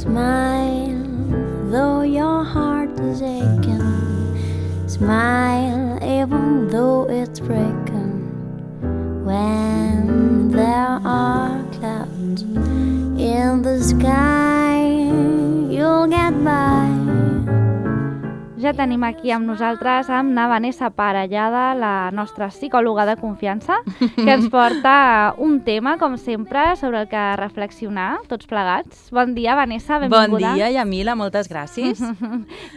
Smile, though your heart is aching. Smile, even though it's breaking. When there are clouds in the sky, you'll get by. Ja tenim aquí amb nosaltres amb na Vanessa Parellada, la nostra psicòloga de confiança, que ens porta un tema, com sempre, sobre el que reflexionar, tots plegats. Bon dia, Vanessa, benvinguda. Bon dia, Yamila, moltes gràcies.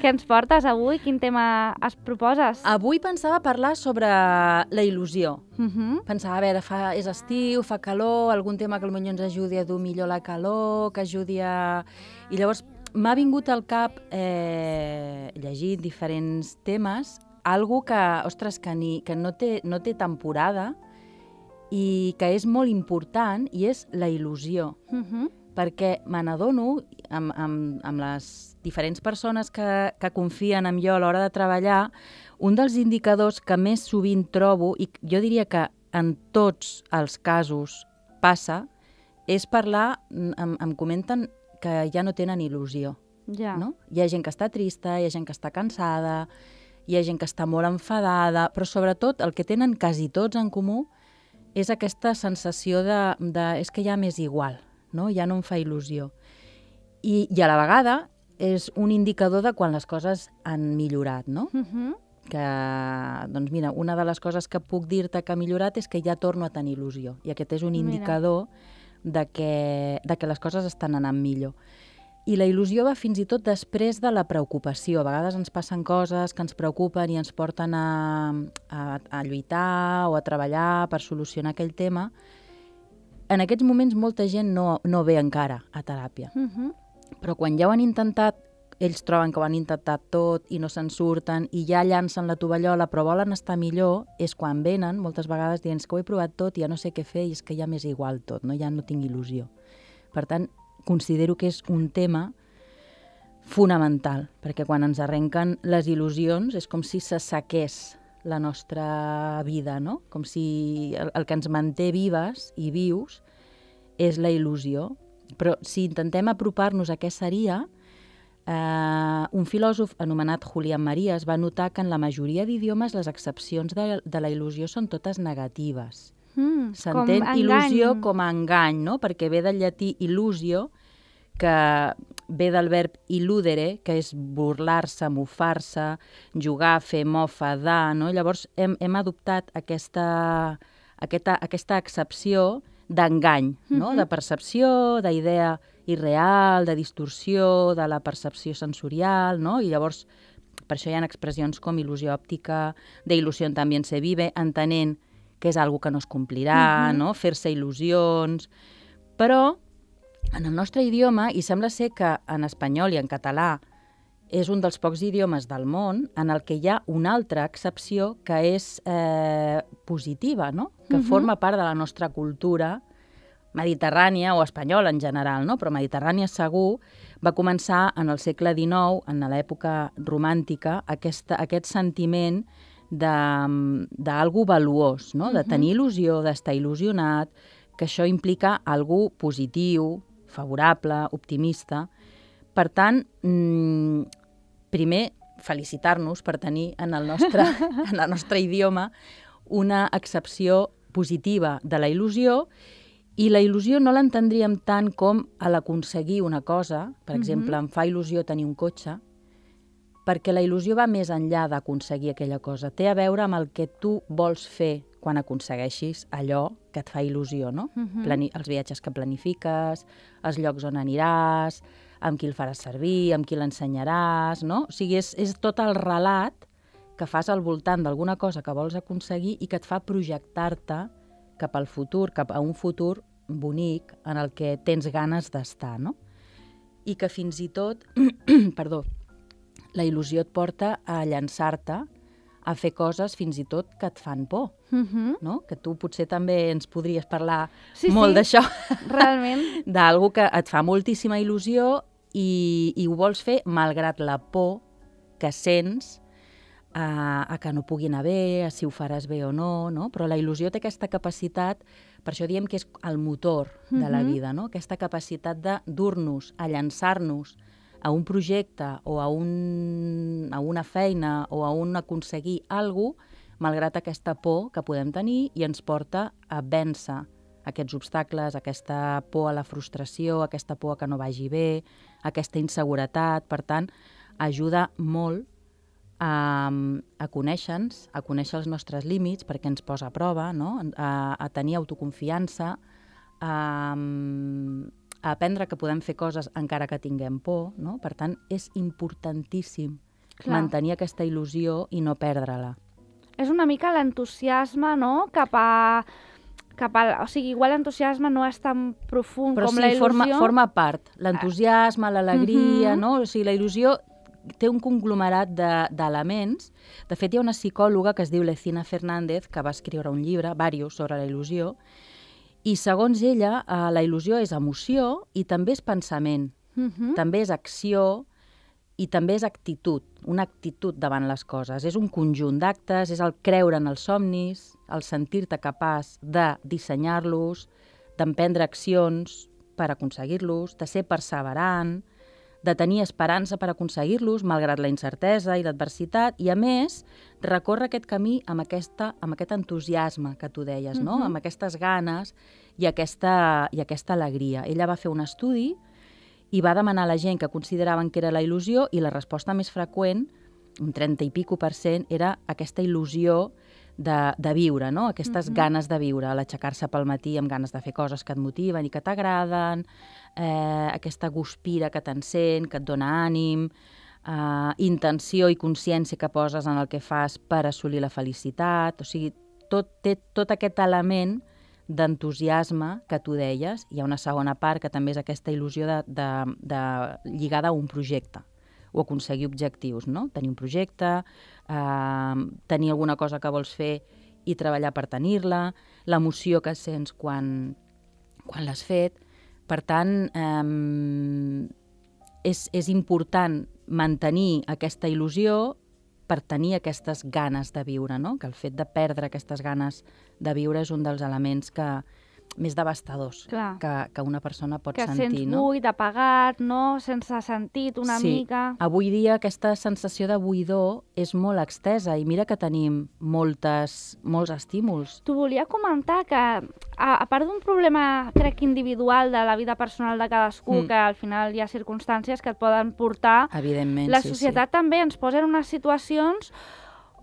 Què ens portes avui? Quin tema es proposes? Avui pensava parlar sobre la il·lusió. Pensava, a veure, és estiu, fa calor, algun tema que potser ens ajudi a dur millor la calor, que ajudi a... I llavors m'ha vingut al cap, llegint diferents temes, algo que, ostres, que no té temporada i que és molt important, i és la il·lusió. Perquè me n'adono, amb les diferents persones que confien en jo a l'hora de treballar, un dels indicadors que més sovint trobo, i jo diria que en tots els casos passa, és parlar, em comenten que ja no tenen il·lusió. Ja. No? Hi ha gent que està trista, hi ha gent que està cansada, hi ha gent que està molt enfadada, però sobretot el que tenen quasi tots en comú és aquesta sensació de és que ja m'és igual, no? Ja no em fa il·lusió. I a la vegada és un indicador de quan les coses han millorat, no? Que, doncs mira, una de les coses que puc dir-te que ha millorat és que ja torno a tenir il·lusió. I aquest és un indicador de que les coses estan anant millor. I la il·lusió va fins i tot després de la preocupació. A vegades ens passen coses que ens preocupen i ens porten a lluitar o a treballar per solucionar aquell tema. En aquests moments molta gent no ve encara a teràpia. Però quan ja ho han intentat, ells troben que ho han intentat tot i no se'n surten i ja llancen la tovallola però volen estar millor, és quan venen moltes vegades dient que ho he provat tot i ja no sé què fer i és que ja m'és igual tot, no? Ja no tinc il·lusió. Per tant, considero que és un tema fonamental, perquè quan ens arrenquen les il·lusions és com si s'assequés la nostra vida, no? Com si el que ens manté vives i vius és la il·lusió. Però si intentem apropar-nos a què seria, un filòsof anomenat Julián Marías va notar que en la majoria d'idiomes les accepcions de la il·lusió són totes negatives. S'entén il·lusió com a engany, no? Perquè ve del llatí illusio, que ve del verb illudere, que és burlar-se, mofar-se, jugar, fer mofa, no? Llavors hem adoptat aquesta accepció d'engany, no? De percepció, d'idea irreal, de distorsió, de la percepció sensorial, no? I llavors, per això hi ha expressions com il·lusió òptica, de il·lusió també se vive, entenent que és algo que no es complirà, no? Fer-se il·lusions. Però en el nostre idioma, i sembla ser que en espanyol i en català és un dels pocs idiomes del món en el que hi ha una altra accepció que és positiva, no? Que forma part de la nostra cultura mediterrània o espanyola en general, no? Però mediterrània segur, va començar en el segle XIX, en l'època romàntica, aquest sentiment d'algú valuós, no? De tenir il·lusió, d'estar il·lusionat, que això implica algú positiu, favorable, optimista. Per tant, primer, felicitar-nos per tenir en el nostre idioma una accepció positiva de la il·lusió, i la il·lusió no l'entendríem tant com a l'aconseguir una cosa. Per exemple, em fa il·lusió tenir un cotxe, perquè la il·lusió va més enllà d'aconseguir aquella cosa. Té a veure amb el que tu vols fer quan aconsegueixis allò que et fa il·lusió, no? Els viatges que planifiques, els llocs on aniràs, amb qui el faràs servir, amb qui l'ensenyaràs, no? O sigui, és tot el relat que fas al voltant d'alguna cosa que vols aconseguir i que et fa projectar-te cap al futur, cap a un futur bonic en el que tens ganes d'estar, no? I que fins i tot, perdó, la il·lusió et porta a llançar-te a fer coses fins i tot que et fan por, no? Que tu potser també ens podries parlar molt d'això. Realment. D'algú que et fa moltíssima il·lusió i ho vols fer malgrat la por que sents a que no pugui anar bé, a si ho faràs bé o no, no? Però la il·lusió té aquesta capacitat Per això diem que és el motor de la vida, no? Aquesta capacitat de dur-nos, a llançar-nos a un projecte o a una feina o a un aconseguir alguna cosa, malgrat aquesta por que podem tenir i ens porta a vèncer aquests obstacles, aquesta por a la frustració, aquesta por a que no vagi bé, aquesta inseguretat. Per tant, ajuda molt a conèixer-nos, a conèixer els nostres límits, perquè ens posa a prova, no? A tenir autoconfiança, a aprendre que podem fer coses encara que tinguem por, no? Per tant, és importantíssim mantenir aquesta il·lusió i no perdre-la. És una mica l'entusiasme, no?, cap a... O sigui, igual l'entusiasme no és tan profund com la il·lusió. Però sí, forma part. L'entusiasme, l'alegria, no? O sigui, la il·lusió té un conglomerat d'elements. De fet, hi ha una psicòloga que es diu Lecina Fernández, que va escriure un llibre, diversos, sobre la il·lusió, i segons ella, la il·lusió és emoció i també és pensament, també és acció i també és actitud, una actitud davant les coses. És un conjunt d'actes, és el creure en els somnis, el sentir-te capaç de dissenyar-los, d'emprendre accions per aconseguir-los, de ser perseverant, de tenir esperança per aconseguir-los, malgrat la incertesa i l'adversitat, i a més, recórrer aquest camí amb aquest entusiasme que tu deies, no? Amb aquestes ganes i aquesta alegria. Ella va fer un estudi i va demanar a la gent que consideraven que era la il·lusió, i la resposta més freqüent, un 30 i pico %, era aquesta il·lusió de viure, no? Aquestes ganes de viure, l'aixecar-se pel matí amb ganes de fer coses que et motiven i que t'agraden, aquesta guspira que t'encén, que et dona ànim, intenció i consciència que poses en el que fas per assolir la felicitat. O sigui, té tot aquest element d'entusiasme que tu deies. Hi ha una segona part que també és aquesta il·lusió lligada a un projecte o aconseguir objectius, no? Tenir un projecte, tenir alguna cosa que vols fer i treballar per tenir-la, l'emoció que sents quan l'has fet. Per tant, és important mantenir aquesta il·lusió per tenir aquestes ganes de viure, no? Que el fet de perdre aquestes ganes de viure és un dels elements més devastadors que una persona pot sentir. Que sents buit, apagat, no? Sense sentit una mica. Avui dia aquesta sensació de buidor és molt extesa i mira que tenim molts estímuls. T'ho volia comentar que, a part d'un problema, crec, individual de la vida personal de cadascú, que al final hi ha circumstàncies que et poden portar, evidentment, la societat també ens posa en unes situacions,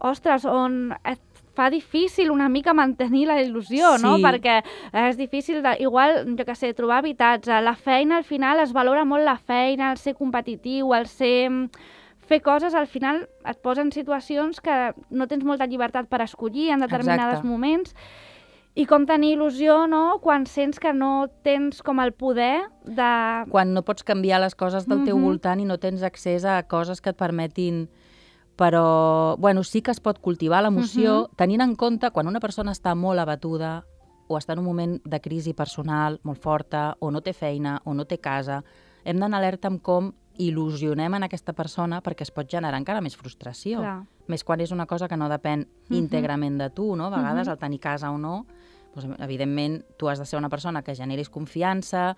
ostres, on et fa difícil una mica mantenir la il·lusió, no? Perquè és difícil, igual, jo què sé, trobar habitatge. La feina, al final, es valora molt la feina, el ser competitiu, el fer coses, al final et posa en situacions que no tens molta llibertat per escollir en determinats moments. I com tenir il·lusió, no?, quan sents que no tens com el poder de... Quan no pots canviar les coses del teu voltant i no tens accés a coses que et permetin... Però, bueno, sí que es pot cultivar l'emoció, tenint en compte quan una persona està molt abatuda o està en un moment de crisi personal molt forta, o no té feina, o no té casa, hem d'anar alerta amb com il·lusionem en aquesta persona, perquè es pot generar encara més frustració. Clar. Més quan és una cosa que no depèn íntegrament de tu, no? A vegades el tenir casa o no, doncs, evidentment tu has de ser una persona que generis confiança,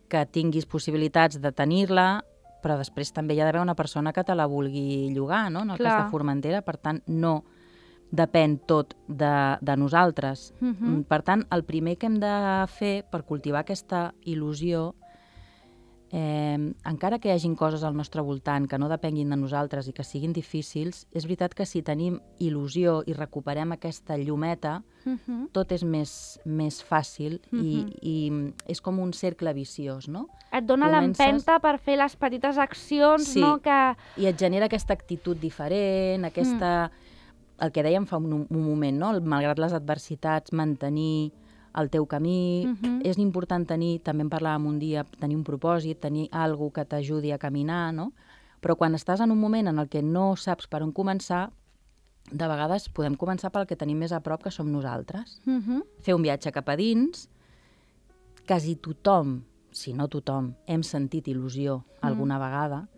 que tinguis possibilitats de tenir-la, però després també hi ha d'haver una persona que te la vulgui llogar, no? En el cas de Formentera, per tant, no depèn tot de nosaltres. Per tant, el primer que hem de fer per cultivar aquesta il·lusió, encara que hi hagin coses al nostre voltant que no depenguin de nosaltres i que siguin difícils, és veritat que si tenim il·lusió i recuperem aquesta llumeta, tot és més fàcil i és com un cercle viciós, no? Et dona l'empenta per fer les petites accions, no? I et genera aquesta actitud diferent, el que dèiem fa un moment, no? Malgrat les adversitats, mantenir el teu camí. És important tenir, també en parlàvem un dia, tenir un propòsit, tenir alguna que t'ajudi a caminar, no? Però quan estàs en un moment en el que no saps per on començar, de vegades podem començar pel que tenim més a prop, que som nosaltres. Fer un viatge cap a dins. Quasi tothom, si no tothom, hem sentit il·lusió alguna vegada.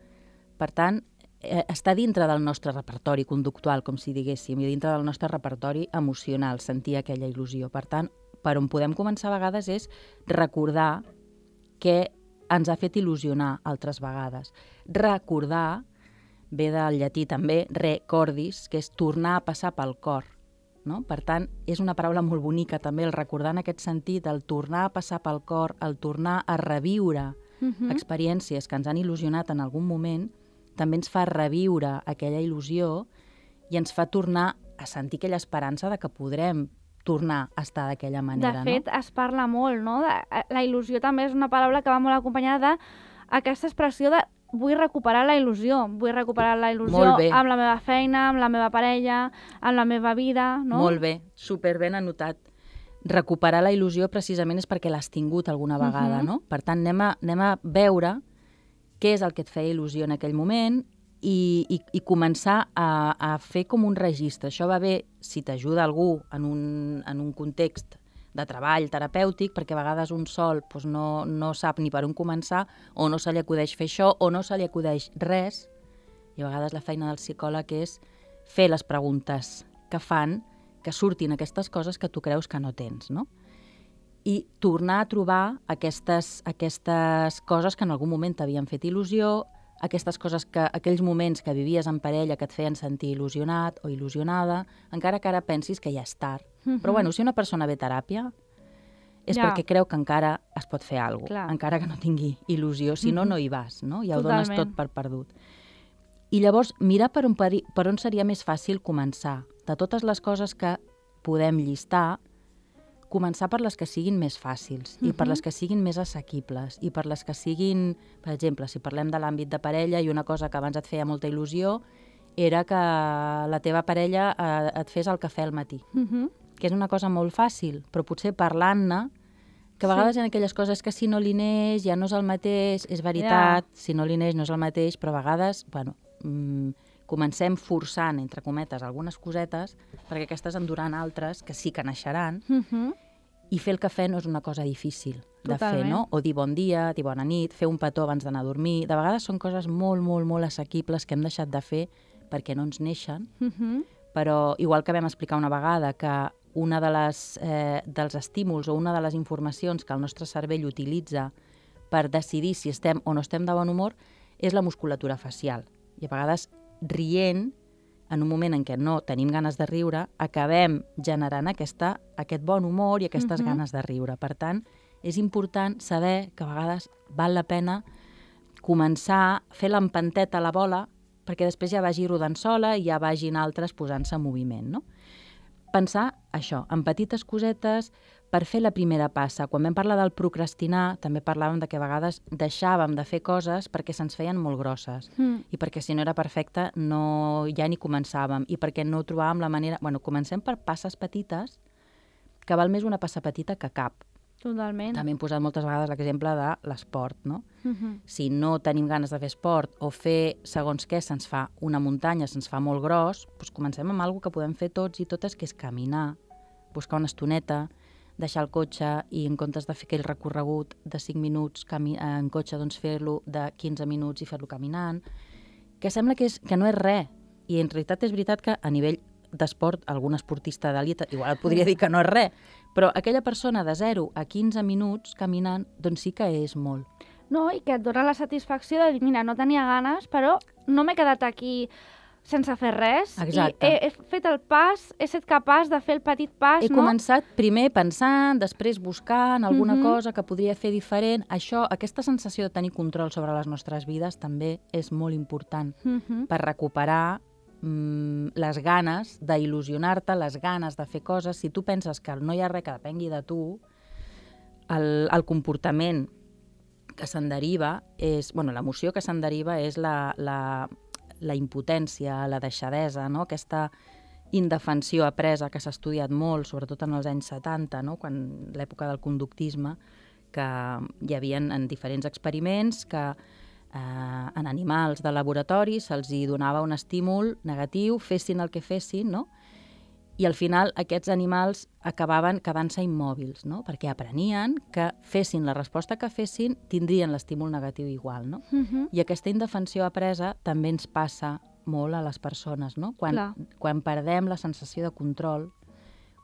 Per tant, està dintre del nostre repertori conductual, com si diguéssim, i dintre del nostre repertori emocional, sentir aquella il·lusió. Per tant, per on podem començar a vegades és recordar què ens ha fet il·lusionar altres vegades. Recordar, ve del llatí també, recordis, que és tornar a passar pel cor. No? Per tant, és una paraula molt bonica també, el recordar en aquest sentit, el tornar a passar pel cor, el tornar a reviure experiències que ens han il·lusionat en algun moment, també ens fa reviure aquella il·lusió i ens fa tornar a sentir aquella esperança de que podrem tornar a estar d'aquella manera. De fet, es parla molt, no? La il·lusió també és una paraula que va molt acompanyada d'aquesta expressió de vull recuperar la il·lusió. Vull recuperar la il·lusió amb la meva feina, amb la meva parella, amb la meva vida, no? Molt bé, superben anotat. Recuperar la il·lusió precisament és perquè l'has tingut alguna vegada, no? Per tant, anem a veure què és el que et feia il·lusió en aquell moment i començar a fer com un registre. Això va bé si t'ajuda algú en un context de treball terapèutic, perquè a vegades un sol doncs no sap ni per on començar, o no se li acudeix fer això, o no se li acudeix res. I a vegades la feina del psicòleg és fer les preguntes que fan que surtin aquestes coses que tu creus que no tens, no? I tornar a trobar aquestes coses que en algun moment t'havien fet il·lusió, aquells moments que vivies en parella que et feien sentir il·lusionat o il·lusionada, encara que ara pensis que ja és tard. Però bueno, si una persona ve a teràpia és perquè creu que encara es pot fer alguna cosa, encara que no tingui il·lusió, si no, no hi vas, no? Ja ho dones tot per perdut. I llavors mirar per on seria més fàcil començar. De totes les coses que podem llistar, començar per les que siguin més fàcils i per les que siguin més assequibles i per les que siguin, per exemple, si parlem de l'àmbit de parella, i una cosa que abans et feia molta il·lusió era que la teva parella et fes el cafè al matí, que és una cosa molt fàcil, però potser parlant-ne, que a vegades hi ha aquelles coses que si no li neix ja no és el mateix, és veritat, si no li neix no és el mateix, però a vegades, bueno, comencem forçant, entre cometes, algunes cosetes, perquè aquestes en duran altres que sí que naixeran, i fer el cafè no és una cosa difícil de fer, no? O dir bon dia, dir bona nit, fer un petó abans d'anar a dormir. De vegades són coses molt, molt, molt assequibles que hem deixat de fer perquè no ens neixen, però igual que vam explicar una vegada que una dels estímuls o una de les informacions que el nostre cervell utilitza per decidir si estem o no estem de bon humor és la musculatura facial. I a vegades rient, en un moment en què no tenim ganes de riure, acabem generant aquest bon humor i aquestes ganes de riure. Per tant, és important saber que a vegades val la pena començar a fer l'empanteta a la bola perquè després ja vagi rodant sola i ja vagin altres posant-se en moviment, no? Pensar això, en petites cosetes per fer la primera passa. Quan vam parlar del procrastinar, també parlàvem de que a vegades deixàvem de fer coses perquè se'ns feien molt grosses i perquè si no era perfecte ja ni començàvem i perquè no trobàvem la manera... Bueno, comencem per passes petites, que val més una passa petita que cap. Totalment. També hem posat moltes vegades l'exemple de l'esport, no? Si no tenim ganes de fer esport o fer segons què se'ns fa una muntanya, se'ns fa molt gros, doncs comencem amb alguna que podem fer tots i totes, que és caminar, buscar una estoneta, deixar el cotxe i en comptes de fer aquell recorregut de 5 minuts en cotxe, doncs fer-lo de 15 minuts i fer-lo caminant, que sembla que no és res. I en realitat és veritat que a nivell d'esport, algun esportista d'elit igual et podria dir que no és res, però aquella persona de 0 a 15 minuts caminant, doncs sí que és molt. No, i que et dona la satisfacció de dir, mira, no tenia ganes, però no m'he quedat aquí sense fer res. Exacte. I he fet el pas, he estat capaç de fer el petit pas, He començat primer pensant, després buscant alguna cosa que podria fer diferent. Aquesta sensació de tenir control sobre les nostres vides també és molt important per recuperar les ganes d'il·lusionar-te, les ganes de fer coses. Si tu penses que no hi ha res que depengui de tu, el comportament que se'n deriva és... Bueno, l'emoció que se'n deriva és la impotència, la deixadesa, no? Aquesta indefensió apresa que s'ha estudiat molt, sobretot en els anys 70, no? Quan l'època del conductisme, que hi havia en diferents experiments que en animals de laboratori se'ls donava un estímul negatiu, fessin el que fessin, no? I al final aquests animals acabaven quedant-se immòbils, no? Perquè aprenien que fessin la resposta que fessin, tindrien l'estímul negatiu igual, no? I aquesta indefensió apresa també ens passa molt a les persones, no? Quan perdem la sensació de control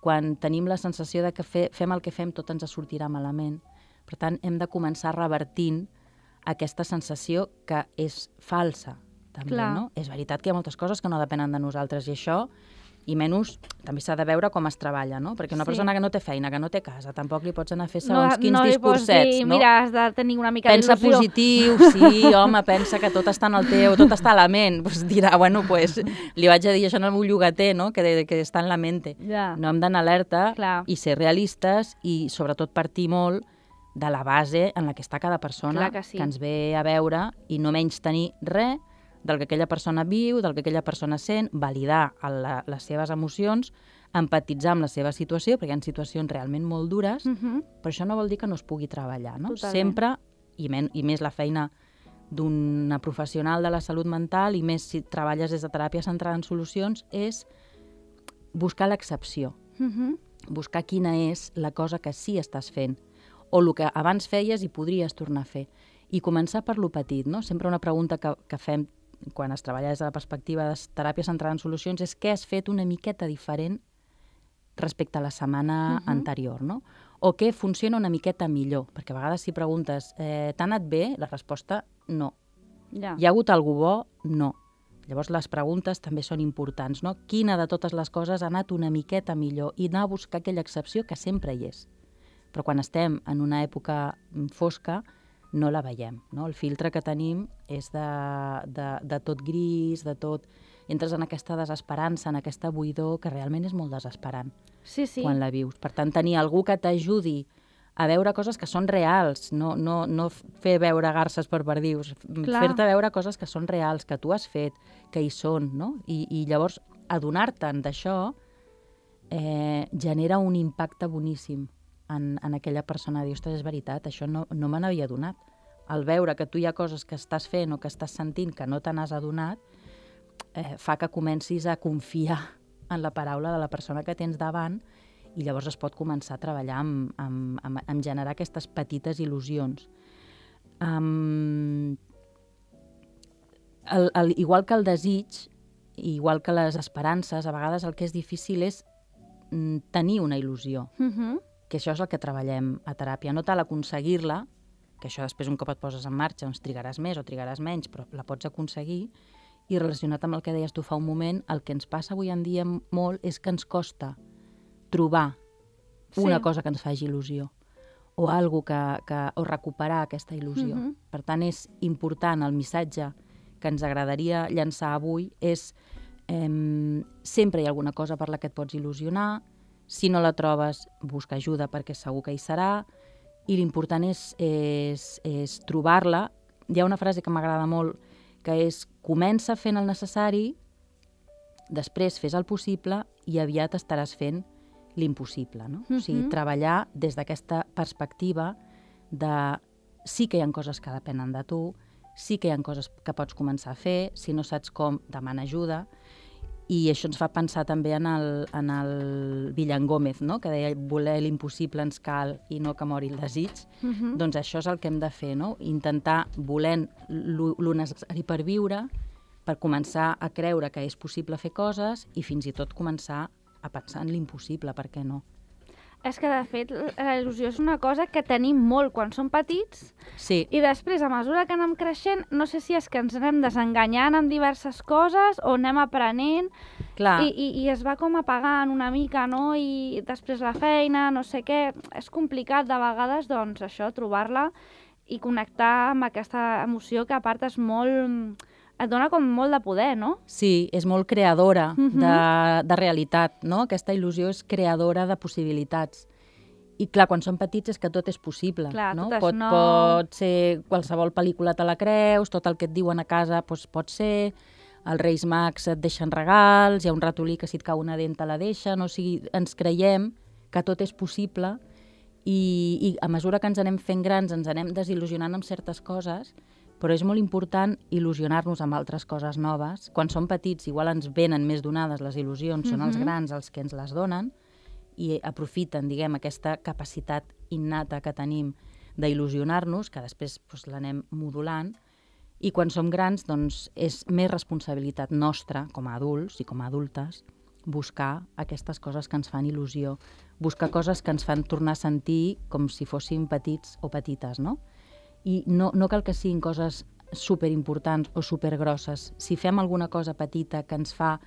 quan tenim la sensació de que fem el que fem tot ens sortirà malament. Per tant, hem de començar revertint aquesta sensació que és falsa, també, Clar. no? És veritat que hi ha moltes coses que no depenen de nosaltres i això, i menys, també s'ha de veure com es treballa, no? Perquè una persona que no té feina, que no té casa, tampoc li pots anar a fer segons quins discursets, no li pots dir, mira, has de tenir una mica d'il·lusió. Pensa positiu, sí, home, pensa que tot està en el teu, tot està a la ment. Pues dirà, bueno, pues, li vaig a dir això al meu llogater, no? Que està en la mente. Ja. No hem d'anar alerta Clar. i ser realistes i sobretot partir molt de la base en la que està cada persona Clar que sí. ens ve a veure i no menys tenir res del que aquella persona viu, del que aquella persona sent, validar les seves emocions, empatitzar amb la seva situació, perquè hi ha situacions realment molt dures, però això no vol dir que no es pugui treballar, no? Totalment. Sempre, i més la feina d'una professional de la salut mental, i més si treballes des de teràpia centrada en solucions, és buscar l'excepció, buscar quina és la cosa que sí estàs fent, o el que abans feies i podries tornar a fer. I començar per lo petit, no? Sempre una pregunta que fem quan es treballa des de la perspectiva de teràpia centrada en solucions és què has fet una miqueta diferent respecte a la setmana anterior, no? O què funciona una miqueta millor, perquè a vegades si preguntes t'ha anat bé? La resposta, no. Ja. Hi ha hagut algú bo? No. Llavors les preguntes també són importants, no? Quina de totes les coses ha anat una miqueta millor? I anar a buscar aquella excepció que sempre hi és. Però quan estem en una època fosca, no la veiem, no? El filtre que tenim és de tot gris, de tot... Entres en aquesta desesperança, en aquesta buidor, que realment és molt desesperant quan la vius. Per tant, tenir algú que t'ajudi a veure coses que són reals, no fer veure garses per perdius, fer-te veure coses que són reals, que tu has fet, que hi són, no? I llavors, adonar-te'n d'això genera un impacte boníssim en aquella persona. Dir, ostres, és veritat, això no me n'havia adonat. Al veure que tu hi ha coses que estàs fent o que estàs sentint que no te n'has adonat, fa que comencis a confiar en la paraula de la persona que tens davant i llavors es pot començar a treballar en generar aquestes petites il·lusions. Igual que el desig, igual que les esperances, a vegades el que és difícil és tenir una il·lusió. Que això és el que treballem a teràpia. No tal aconseguir-la, que això després un cop et poses en marxa doncs trigaràs més o trigaràs menys, però la pots aconseguir, i relacionat amb el que deies tu fa un moment, el que ens passa avui en dia molt és que ens costa trobar una cosa que ens faci il·lusió o algo o recuperar aquesta il·lusió. Per tant, és important, el missatge que ens agradaria llançar avui és sempre hi ha alguna cosa per la que et pots il·lusionar. Si no la trobes, busca ajuda perquè segur que hi serà, i l'important és trobar-la. Hi ha una frase que m'agrada molt, que és comença fent el necessari, després fes el possible i aviat estaràs fent l'impossible, no? O sigui, treballar des d'aquesta perspectiva de sí que hi ha coses que depenen de tu, sí que hi ha coses que pots començar a fer, si no saps com, demana ajuda. I això ens fa pensar també en el Villan Gómez, no? Que deia voler l'impossible ens cal i no que mori el desig. Doncs això és el que hem de fer, no? Intentar volent lo necessari per viure, per començar a creure que és possible fer coses i fins i tot començar a pensar en l'impossible, per què no? És que, de fet, la il·lusió és una cosa que tenim molt quan som petits i després, a mesura que anem creixent, no sé si és que ens anem desenganyant amb diverses coses o anem aprenent i es va com apagant una mica, no? I després la feina, no sé què... És complicat de vegades, doncs, això, trobar-la i connectar amb aquesta emoció que, a part, és molt... et dona com molt de poder, no? Sí, és molt creadora de realitat, no? Aquesta il·lusió és creadora de possibilitats. I clar, quan som petits és que tot és possible, clar, no? Tot pot ser qualsevol pel·lícula te la creus, tot el que et diuen a casa doncs, pot ser, els Reis Mags et deixen regals, hi ha un ratolí que si et cau una dent te la deixa, no? O sigui, ens creiem que tot és possible i a mesura que ens anem fent grans ens anem desil·lusionant amb certes coses, però és molt important il·lusionar-nos amb altres coses noves. Quan som petits, igual ens venen més donades les il·lusions, són els grans els que ens les donen i aprofiten, diguem, aquesta capacitat innata que tenim d'il·lusionar-nos, que després l'anem modulant, i quan som grans doncs, és més responsabilitat nostra, com a adults i com a adultes, buscar aquestes coses que ens fan il·lusió, buscar coses que ens fan tornar a sentir com si fóssim petits o petites, no? I no cal que siguin coses superimportants o supergrosses. Si fem alguna cosa petita que ens fa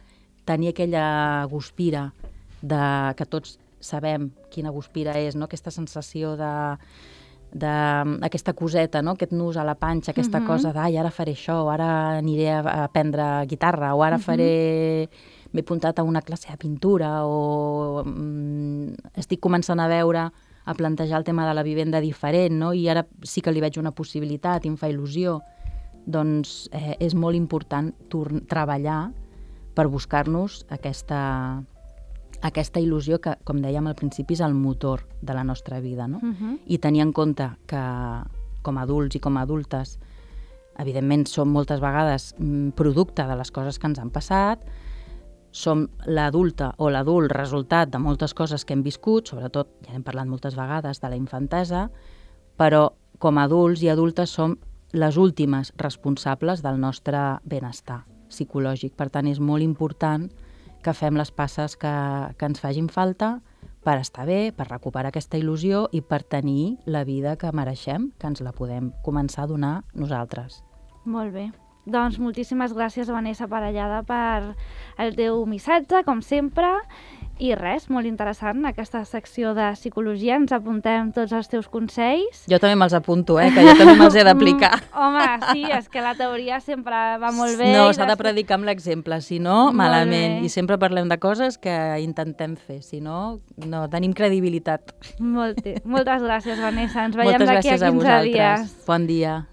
tenir aquella guspira que tots sabem quina guspira és, no? Aquesta sensació d'aquesta coseta, no? Aquest nus a la panxa, aquesta cosa d'ai, ara faré això, o ara aniré a aprendre guitarra, o ara m'he apuntat a una classe de pintura, o estic començant a veure, a plantejar el tema de la vivenda diferent, no? I ara sí que li veig una possibilitat i em fa il·lusió. Doncs és molt important treballar per buscar-nos aquesta il·lusió que, com dèiem al principi, és el motor de la nostra vida, no? I tenir en compte que com a adults i com a adultes, evidentment som moltes vegades producte de les coses que ens han passat, som l'adulta o l'adult resultat de moltes coses que hem viscut, sobretot, ja hem parlat moltes vegades de la infantesa, però com a adults i adultes som les últimes responsables del nostre benestar psicològic. Per tant, és molt important que fem les passes que ens facin falta per estar bé, per recuperar aquesta il·lusió i per tenir la vida que mereixem, que ens la podem començar a donar nosaltres. Molt bé. Doncs moltíssimes gràcies, Vanessa Parellada, per el teu missatge, com sempre. I res, molt interessant, aquesta secció de psicologia. Ens apuntem tots els teus consells. Jo també me'ls apunto, que jo també me'ls he d'aplicar. Home, sí, és que la teoria sempre va molt bé. No, s'ha de predicar amb l'exemple, si no, malament. I sempre parlem de coses que intentem fer, si no, no tenim credibilitat. Moltes gràcies, Vanessa. Ens veiem d'aquí a 15 dies. Bon dia.